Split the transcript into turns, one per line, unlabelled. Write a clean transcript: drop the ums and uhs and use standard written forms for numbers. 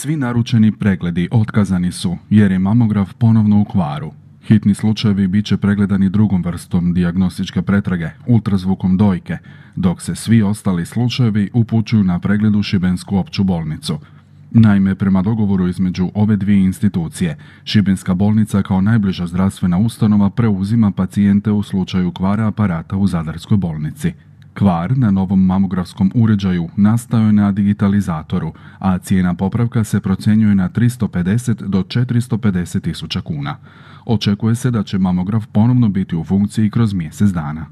Svi naručeni pregledi otkazani su jer je mamograf ponovno u kvaru. Hitni slučajevi bit će pregledani drugom vrstom dijagnostičke pretrage, ultrazvukom dojke, dok se svi ostali slučajevi upućuju na pregled u Šibensku opću bolnicu. Naime, prema dogovoru između ove dvije institucije, Šibenska bolnica kao najbliža zdravstvena ustanova preuzima pacijente u slučaju kvara aparata u Zadarskoj bolnici. Kvar na novom mamografskom uređaju nastao je na digitalizatoru, a cijena popravka se procjenjuje na 350 do 450 tisuća kuna. Očekuje se da će mamograf ponovno biti u funkciji kroz mjesec dana.